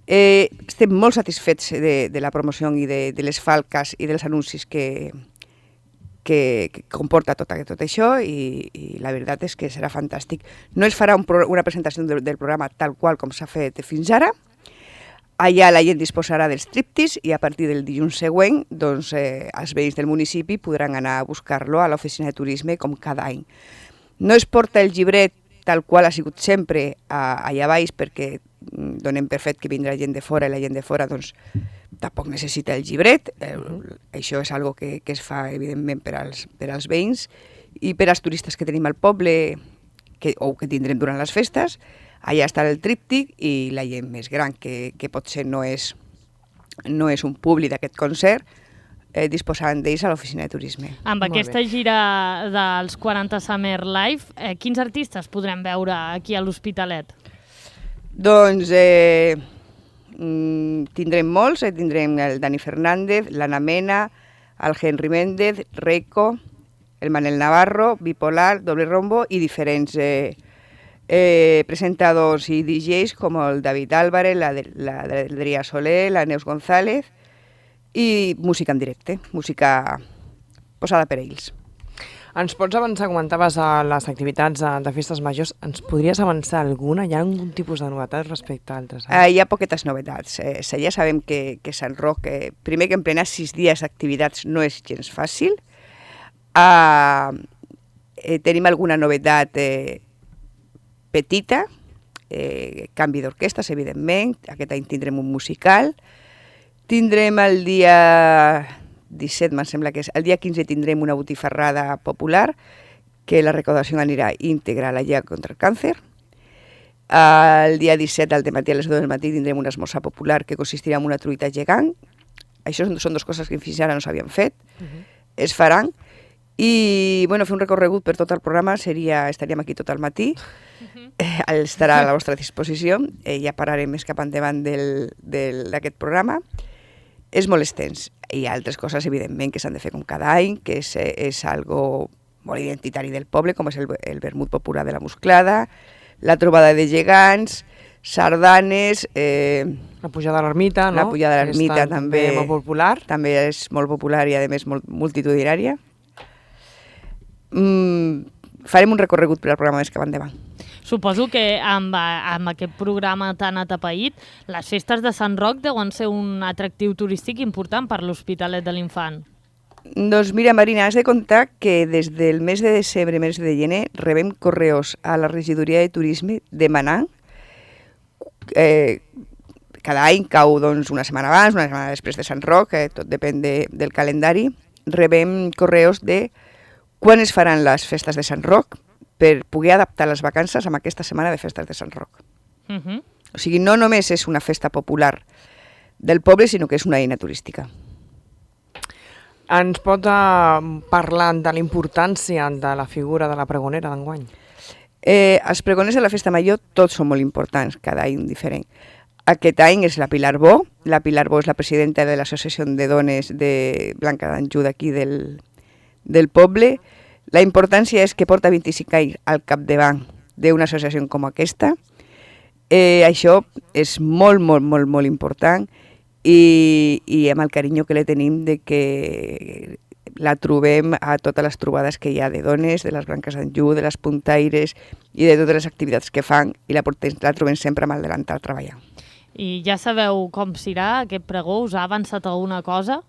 Eh, estem molt satisfets de, de la promoció i de, de les falques i dels anuncis que Que, que comporta tot, tot això i, i la veritat és que serà fantàstic. No es farà un pro, una presentació del, del programa tal qual com s'ha fet fins ara. Allà la gent disposarà dels triptis i a partir del dilluns següent doncs, eh, els veïns del municipi podran anar a buscar-lo a l'oficina de turisme com cada any. No es porta el llibret tal qual ha sigut sempre a, allà baix perquè donem per fet que vindrà gent de fora i la gent de fora doncs, tampoc necessita el llibret. Eh, això és algo que, que es fa evidentment per als, per als veïns i per als turistes que tenim al poble que, o que tindrem durant les festes. Allà està el tríptic i la gent més gran que, que potser no és, no és un públic d'aquest concert eh, disposaran d'ells a l'oficina de turisme. Amb Molt aquesta bé. gira dels quaranta Summer Live, eh, quins artistes podrem veure aquí a l'Hospitalet? Doncs eh, tindrem molts, eh, tindrem el Dani Fernández, l'Anna Mena, el Henry Méndez, Reiko, el Manel Navarro, Bipolar, Doble Rombo i diferents eh, eh, presentadors i D Js com el David Álvarez, la, la, la Adrià Soler, la Neus González i música en directe, música posada per ells. Ens pots avançar, comentaves a les activitats de festes majors, ens podries avançar alguna? Hi ha algun tipus de novetats respecte a altres? Eh, hi ha poquetes novetats. Eh, ja sabem que, que Sant Roc, eh, primer que en plena sis dies d'activitats no és gens fàcil. Uh, eh, tenim alguna novetat eh, petita, eh, canvi d'orquestes, evidentment. Aquest any tindrem un musical. Tindrem el dia disset, em sembla que és. El dia quinze tindrem una botifarrada popular, que la recaudació anirà íntegra a la Lliga contra el Càncer. El dia disset, al matí a les deu del matí, tindrem un esmorzar popular que consistirà en una truita gegant. Això són, són dues coses que fins ara no s'havien fet. Uh-huh. Es faran. I bueno, fer un recorregut per tot el programa seria, estaríem aquí tot el matí. Uh-huh. eh, estarà a la vostra disposició. Eh, ja parlarem més cap endavant d'aquest programa. És molt extens. Hi ha altres coses, evidentment, que s'han de fer com cada any, que és, és algo molt identitari del poble, com és el, el vermut popular de la Musclada, la trobada de gegants, sardanes... Eh, la pujada a l'ermita, no? La pujada a l'ermita també, també molt popular. També és molt popular i, a més, molt multitudinària. Mm, farem un recorregut per al programa més cap endavant. Suposo que amb, amb aquest programa tan atapeït, les festes de Sant Roc deuen ser un atractiu turístic important per l'Hospitalet de l'Infant. Doncs mira, Marina, has de comptar que des del mes de desembre, mes de gener, rebem correus a la regidoria de turisme demanant, eh, cada any cau doncs, una setmana abans, una setmana després de Sant Roc, eh, tot depèn de, del calendari, rebem correus de quan es faran les festes de Sant Roc, per poder adaptar les vacances amb aquesta setmana de festes de Sant Roc. Uh-huh. O sigui, no només és una festa popular del poble, sinó que és una eina turística. Ens pots uh, parlar de la importància de la figura de la pregonera d'enguany? Eh, els pregoners de la Festa Major tots són molt importants, cada any diferent. Aquest any és la Pilar Bo. La Pilar Bo és la presidenta de l'Associació de Dones de Blanca d'Anjou d'aquí del, del poble. La importància és que porta vint-i-cinc anys al capdavant d'una associació com aquesta. Eh, això és molt, molt, molt, molt important i, i amb el carinyo que li tenim de que la trobem a totes les trobades que hi ha de dones, de les Branques d'Anjou, de les puntaires i de totes les activitats que fan i la, la trobem sempre amb el delantal treballant. I ja sabeu com serà aquest pregó? Us ha avançat alguna cosa?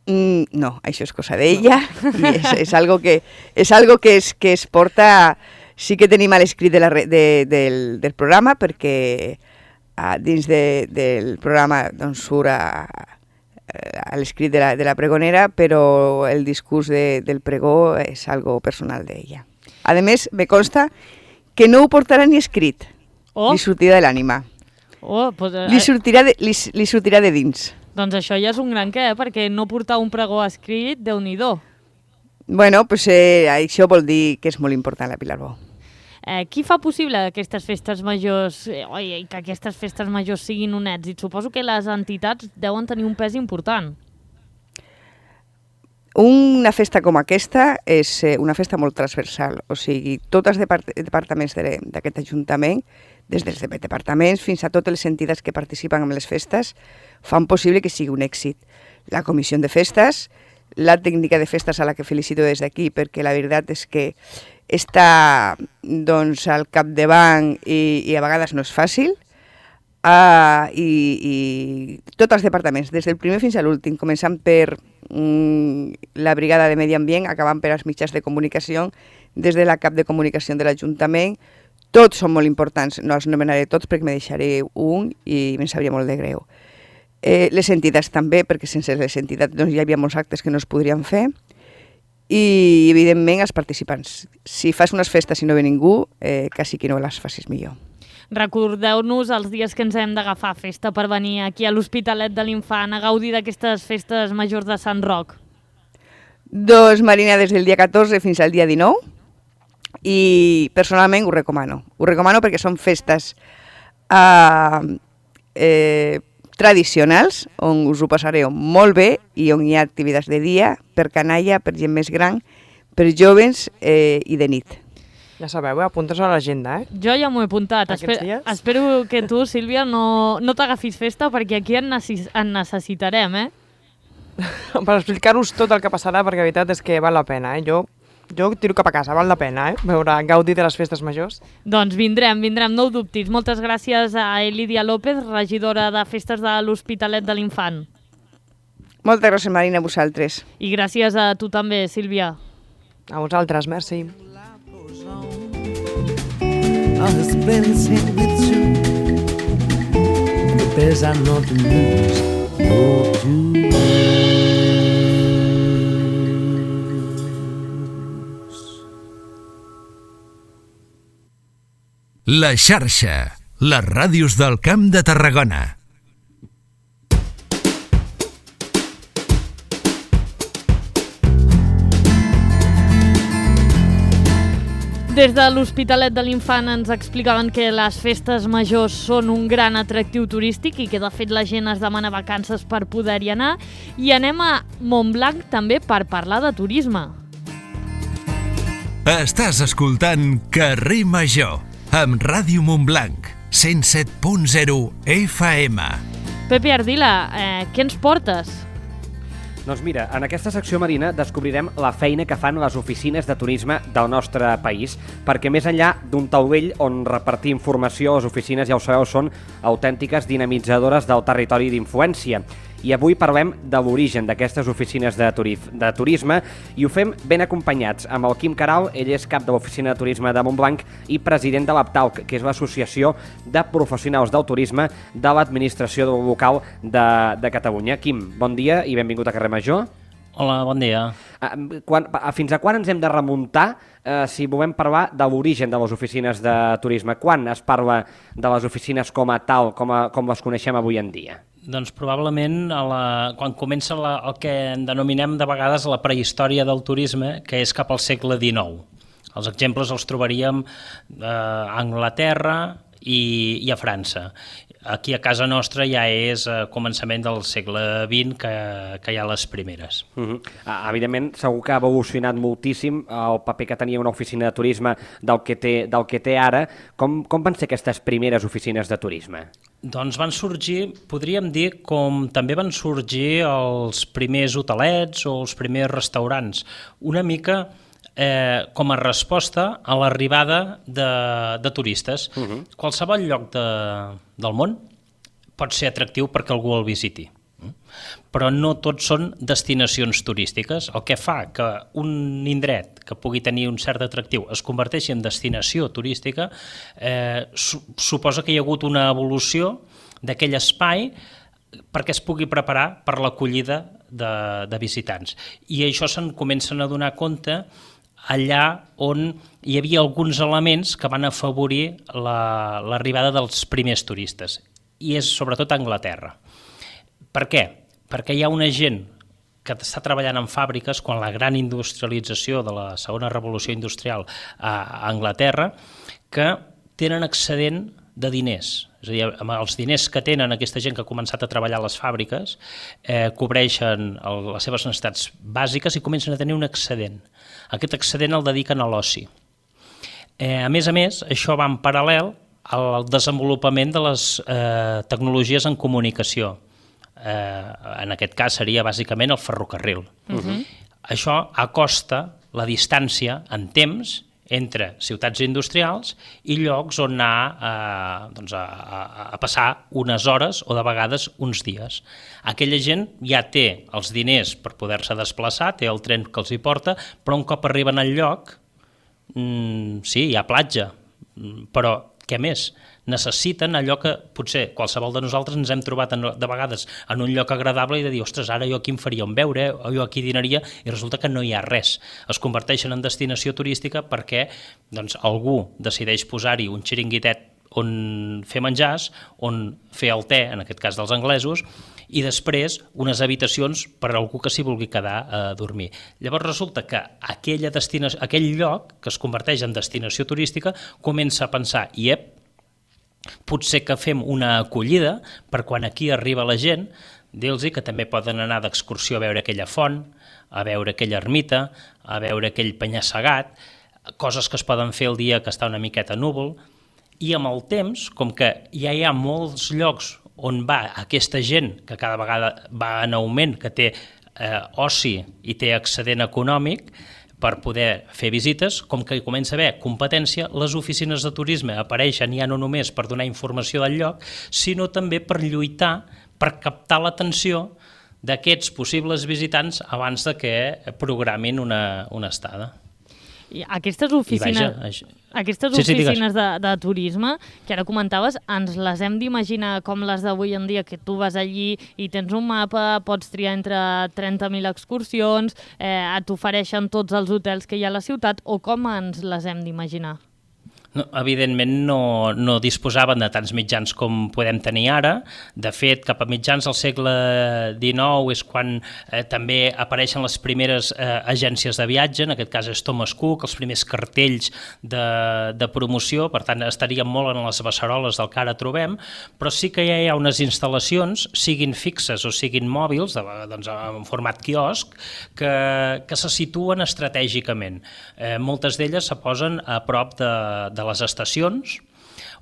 Mm, no, això és cosa d'ella i és, és algo, que, és algo que, es, que es porta... Sí que tenim l'escrit de la, de, del, del programa perquè a, dins de, del programa doncs, surt a, a l'escrit de, la, de la pregonera, però el discurs de, del pregó és algo personal d'ella. A més, me consta que no ho portarà ni escrit, oh. li sortirà de l'ànima. Oh, pues, eh... li, sortirà de, li, li sortirà de dins. Doncs això ja és un gran què, eh? Perquè no portar un pregó escrit, Déu-n'hi-do. Bueno, pues, eh, això vol dir que és molt important la Pilar Bo. Eh, qui fa possible aquestes festes majors, eh, oi, que aquestes festes majors siguin un èxit? Suposo que les entitats deuen tenir un pes important. Una festa com aquesta és una festa molt transversal, o sigui, tots els depart departaments d'aquest Ajuntament, des dels departaments fins a totes les entitats que participen en les festes, fan possible que sigui un èxit. La comissió de festes, la tècnica de festes a la que felicito des d'aquí, perquè la veritat és que està doncs, al capdavant i, i a vegades no és fàcil, uh, i, i tots els departaments, des del primer fins a l'últim, començant per um, la brigada de Medi Ambient, acabant per als mitjans de comunicació, des de la cap de comunicació de l'Ajuntament, tots són molt importants, no els nomenaré tots perquè me deixaré un i me'n sabria molt de greu. Eh, les entitats també, perquè sense les entitats doncs, hi havia molts actes que no es podrien fer, i evidentment els participants. Si fas unes festes i no ve ningú, eh, quasi que no les facis millor. Recordeu-nos els dies que ens hem d'agafar festa per venir aquí a l'Hospitalet de l'Infant a gaudir d'aquestes festes majors de Sant Roc. Doncs, Marina, des del dia catorze fins al dia dinou, i personalment ho recomano. Ho recomano perquè són festes eh, eh, tradicionals, on us ho passareu molt bé i on hi ha activitats de dia, per canalla, per gent més gran, per joves eh, i de nit. Ja sabeu, eh? Apuntes a l'agenda, eh? Jo ja m'ho he apuntat. Esper dies? Espero que tu, Sílvia, no, no t'agafis festa perquè aquí en, necess en necessitarem, eh? Per explicar-vos tot el que passarà, perquè la veritat és que val la pena, eh? Jo Jo tiro cap a casa, val la pena, eh? Veure, gaudir de les festes majors. Doncs vindrem, vindrem, no ho dubtis. Moltes gràcies a Elidia López, regidora de Festes de l'Hospitalet de l'Infant. Moltes gràcies, Marina, a vosaltres. I gràcies a tu també, Sílvia. A vosaltres, merci. La xarxa, les ràdios del Camp de Tarragona. Des de l'Hospitalet de l'Infant ens explicaven que les festes majors són un gran atractiu turístic i que de fet la gent es demana vacances per poder-hi anar. I anem a Montblanc també per parlar de turisme. Estàs escoltant Carrer Major amb Ràdio Montblanc, cent set punt zero F M. Pepe Ardila, eh, què ens portes? Doncs mira, en aquesta secció, Marina, descobrirem la feina que fan les oficines de turisme del nostre país, perquè més enllà d'un taulell on repartir informació, les oficines, ja ho sabeu, són autèntiques dinamitzadores del territori d'influència. I avui parlem de l'origen d'aquestes oficines de, turif, de turisme i ho fem ben acompanyats amb el Quim Caral. Ell és cap de l'Oficina de Turisme de Montblanc i president de l'APTALC, que és l'Associació de Professionals del Turisme de l'Administració Local de, de Catalunya. Quim, bon dia i benvingut a Carrer Major. Hola, bon dia. Quan, fins a quan ens hem de remuntar eh, si volem parlar de l'origen de les oficines de turisme? Quan es parla de les oficines com a tal, com, a, com les coneixem avui en dia? Doncs probablement a la, quan comença la, el que en denominem de vegades la prehistòria del turisme, que és cap al segle dinou. Els exemples els trobaríem eh, a Anglaterra i, i a França. Aquí a casa nostra ja és a començament del segle vint que, que hi ha les primeres. Uh-huh. Evidentment, segur que ha evolucionat moltíssim el paper que tenia una oficina de turisme del que té, del que té ara. Com, com van ser aquestes primeres oficines de turisme? Doncs van sorgir, podríem dir, com també van sorgir els primers hotelets o els primers restaurants. Una mica eh, com a resposta a l'arribada de, de turistes. Uh-huh. Qualsevol lloc de, del món pot ser atractiu perquè algú el visiti. Però no tots són destinacions turístiques, el que fa que un indret que pugui tenir un cert atractiu es converteixi en destinació turística, eh, su suposa que hi ha hagut una evolució d'aquell espai perquè es pugui preparar per l'acollida de, de visitants. I això se'n comencen a donar compte allà on hi havia alguns elements que van afavorir l'arribada la, dels primers turistes, i és sobretot a Anglaterra. Per què? Perquè hi ha una gent que està treballant en fàbriques quan la gran industrialització de la segona revolució industrial a Anglaterra, que tenen excedent de diners. És a dir, amb els diners que tenen aquesta gent que ha començat a treballar a les fàbriques, eh, cobreixen el, les seves necessitats bàsiques i comencen a tenir un excedent. Aquest excedent el dediquen a l'oci. Eh, a més a més, això va en paral·lel al desenvolupament de les eh, tecnologies en comunicació. Eh, en aquest cas seria bàsicament el ferrocarril. Uh-huh. Això acosta la distància en temps entre ciutats industrials i llocs on anar eh, doncs a, a, a passar unes hores o de vegades uns dies. Aquella gent ja té els diners per poder-se desplaçar, té el tren que els hi porta, però un cop arriben al lloc, mm, sí, hi ha platja, però què més? Necessiten allò que potser qualsevol de nosaltres ens hem trobat en, de vegades en un lloc agradable i de dir, ostres, ara jo aquí em faria un beure, o jo aquí dinaria, i resulta que no hi ha res. Es converteixen en destinació turística perquè doncs, algú decideix posar-hi un xiringuitet on fer menjars, on fer el te, en aquest cas dels anglesos, i després unes habitacions per a algú que s'hi vulgui quedar a dormir. Llavors resulta que aquella destinació, aquell lloc que es converteix en destinació turística comença a pensar, i ep, potser que fem una acollida per quan aquí arriba la gent, dir-los que també poden anar d'excursió a veure aquella font, a veure aquella ermita, a veure aquell penya-segat, coses que es poden fer el dia que està una miqueta núvol, i amb el temps, com que ja hi ha molts llocs on va aquesta gent, que cada vegada va en augment, que té eh, oci i té excedent econòmic, per poder fer visites, com que hi comença a haver competència, les oficines de turisme apareixen ja no només per donar informació del lloc, sinó també per lluitar, per captar l'atenció d'aquests possibles visitants abans de que programin una, una estada. I aquestes oficines, I vaja, aquestes sí, sí, oficines de, de turisme, que ara comentaves, ens les hem d'imaginar com les d'avui en dia, que tu vas allí i tens un mapa, pots triar entre trenta mil excursions, eh, t'ofereixen tots els hotels que hi ha a la ciutat, o com ens les hem d'imaginar? No, evidentment no, no disposaven de tants mitjans com podem tenir ara. De fet, cap a mitjans del segle dinou és quan eh, també apareixen les primeres eh, agències de viatge, en aquest cas és Thomas Cook, els primers cartells de, de promoció, per tant estaríem molt en les beceroles del que ara trobem, però sí que ja hi ha unes instal·lacions, siguin fixes o siguin mòbils, de, doncs, en format quiosc, que, que se situen estratègicament. Eh, moltes d'elles se posen a prop de, de de les estacions,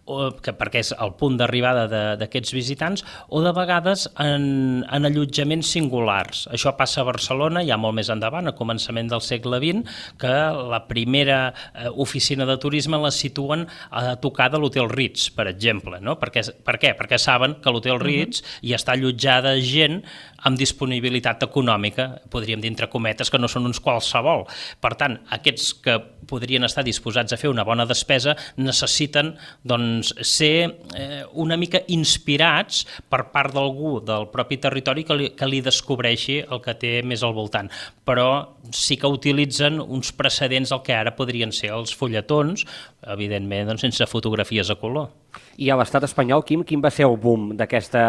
o, que, perquè és el punt d'arribada d'aquests visitants, o de vegades en, en allotjaments singulars. Això passa a Barcelona, ja molt més endavant, a començament del segle vint, que la primera eh, oficina de turisme la situen a tocar de l'Hotel Ritz, per exemple. No? Perquè, per què? Perquè saben que l'Hotel Ritz uh-huh. hi està allotjada gent amb disponibilitat econòmica, podríem dir entre cometes, que no són uns qualsevol. Per tant, aquests que podrien estar disposats a fer una bona despesa necessiten doncs, ser eh, una mica inspirats per part d'algú del propi territori que li, que li descobreixi el que té més al voltant. Però sí que utilitzen uns precedents del que ara podrien ser els fulletons, evidentment, doncs, sense fotografies a color. I a l'estat espanyol, Quim, quin va ser el boom d'aquesta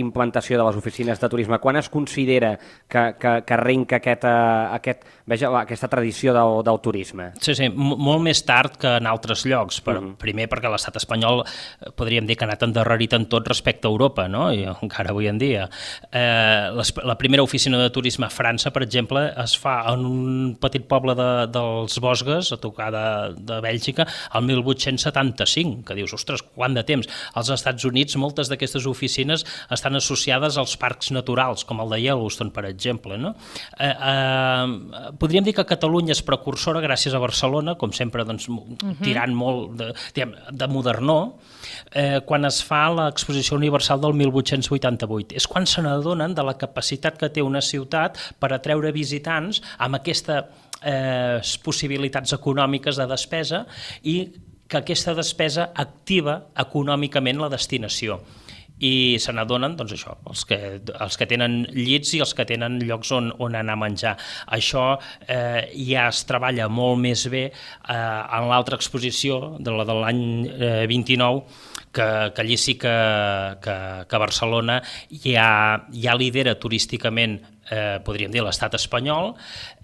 implantació de les oficines de turisme? Quan es considera que, que, que arrenca aquest, aquest, veja, aquesta tradició del, del turisme? Sí, sí, molt més tard que en altres llocs. Per, uh-huh. Primer perquè l'estat espanyol podríem dir que ha anat endarrerit en tot respecte a Europa, no? I encara avui en dia. Eh, les, la primera oficina de turisme a França, per exemple, es fa en un petit poble de, dels Vosges, a tocar de, de Bèlgica, al mil vuit-cents setanta-cinc, que dius, ostres, quant de temps. Als Estats Units, moltes d'aquestes oficines estan associades als parcs naturals, com el de Yellowstone, per exemple. No? Eh, eh, podríem dir que Catalunya és precursora gràcies a Barcelona, com sempre doncs, uh-huh. tirant molt de, diguem, de modernó, eh, quan es fa l'exposició universal del mil vuit-cents vuitanta-vuit. És quan se n'adonen de la capacitat que té una ciutat per atreure visitants amb aquesta eh, possibilitats econòmiques de despesa i que aquesta despesa activa econòmicament la destinació. I se n'adonen, doncs això, els que, els que tenen llits i els que tenen llocs on, on anar a menjar. Això eh, ja es treballa molt més bé eh, en l'altra exposició, de la de l'any eh, vint-i-nou, que, que allí sí que, que, que Barcelona ja, ja lidera turísticament, eh, podríem dir, l'estat espanyol,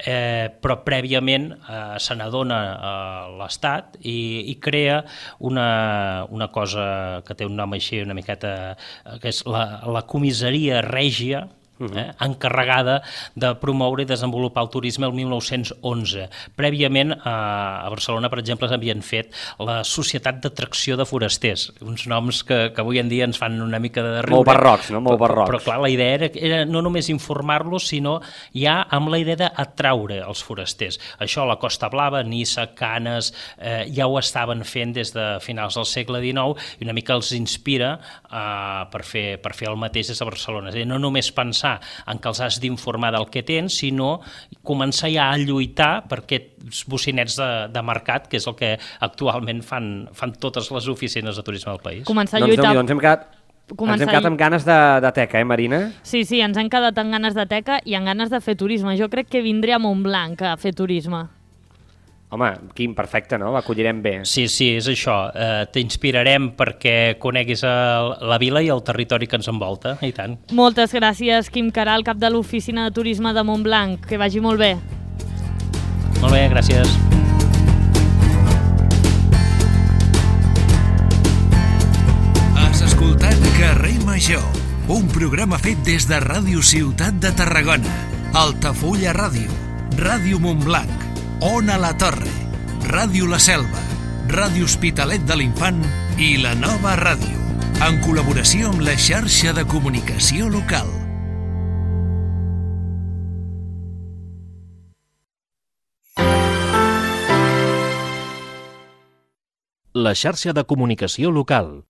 eh, però prèviament eh, se n'adona eh, l'estat i, i crea una, una cosa que té un nom així una miqueta, eh, que és la, la comissaria règia, Eh, encarregada de promoure i desenvolupar el turisme el mil nou-cents onze. Prèviament eh, a Barcelona, per exemple, s'havien fet la Societat d'Atracció de Forasters, uns noms que, que avui en dia ens fan una mica de riure. Molt barrocs, no? Molt barrocs. Però, però clar, la idea era, era no només informar-los, sinó ja amb la idea d'atraure els forasters. Això a la Costa Blava, Niça, Canes, eh, ja ho estaven fent des de finals del segle dinou i una mica els inspira eh, per, fer, per fer el mateix des de Barcelona. És a dir, no només pensar en que els has d'informar del que tens, sinó començar ja a lluitar per aquests bocinets de, de mercat, que és el que actualment fan, fan totes les oficines de turisme del país. Començar a lluitar... Doncs, doncs hem quedat... Començar... Ens hem quedat amb ganes de, de teca, eh, Marina? Sí, sí, ens hem quedat amb ganes de teca i amb ganes de fer turisme. Jo crec que vindré a Montblanc a fer turisme. Home, Quim, perfecte, no? L'acollirem bé. Sí, sí, és això. Eh, T'inspirarem perquè coneguis el, la vila i el territori que ens envolta, i tant. Moltes gràcies, Quim Caral, cap de l'Oficina de Turisme de Montblanc. Que vagi molt bé. Molt bé, gràcies. Has escoltat Carrer Major, un programa fet des de Ràdio Ciutat de Tarragona, Altafulla Ràdio, Ràdio Montblanc, Ona la Torre, Ràdio La Selva, Ràdio Hospitalet de l'Infant i La Nova Ràdio, en col·laboració amb la xarxa de comunicació local. La xarxa de comunicació local.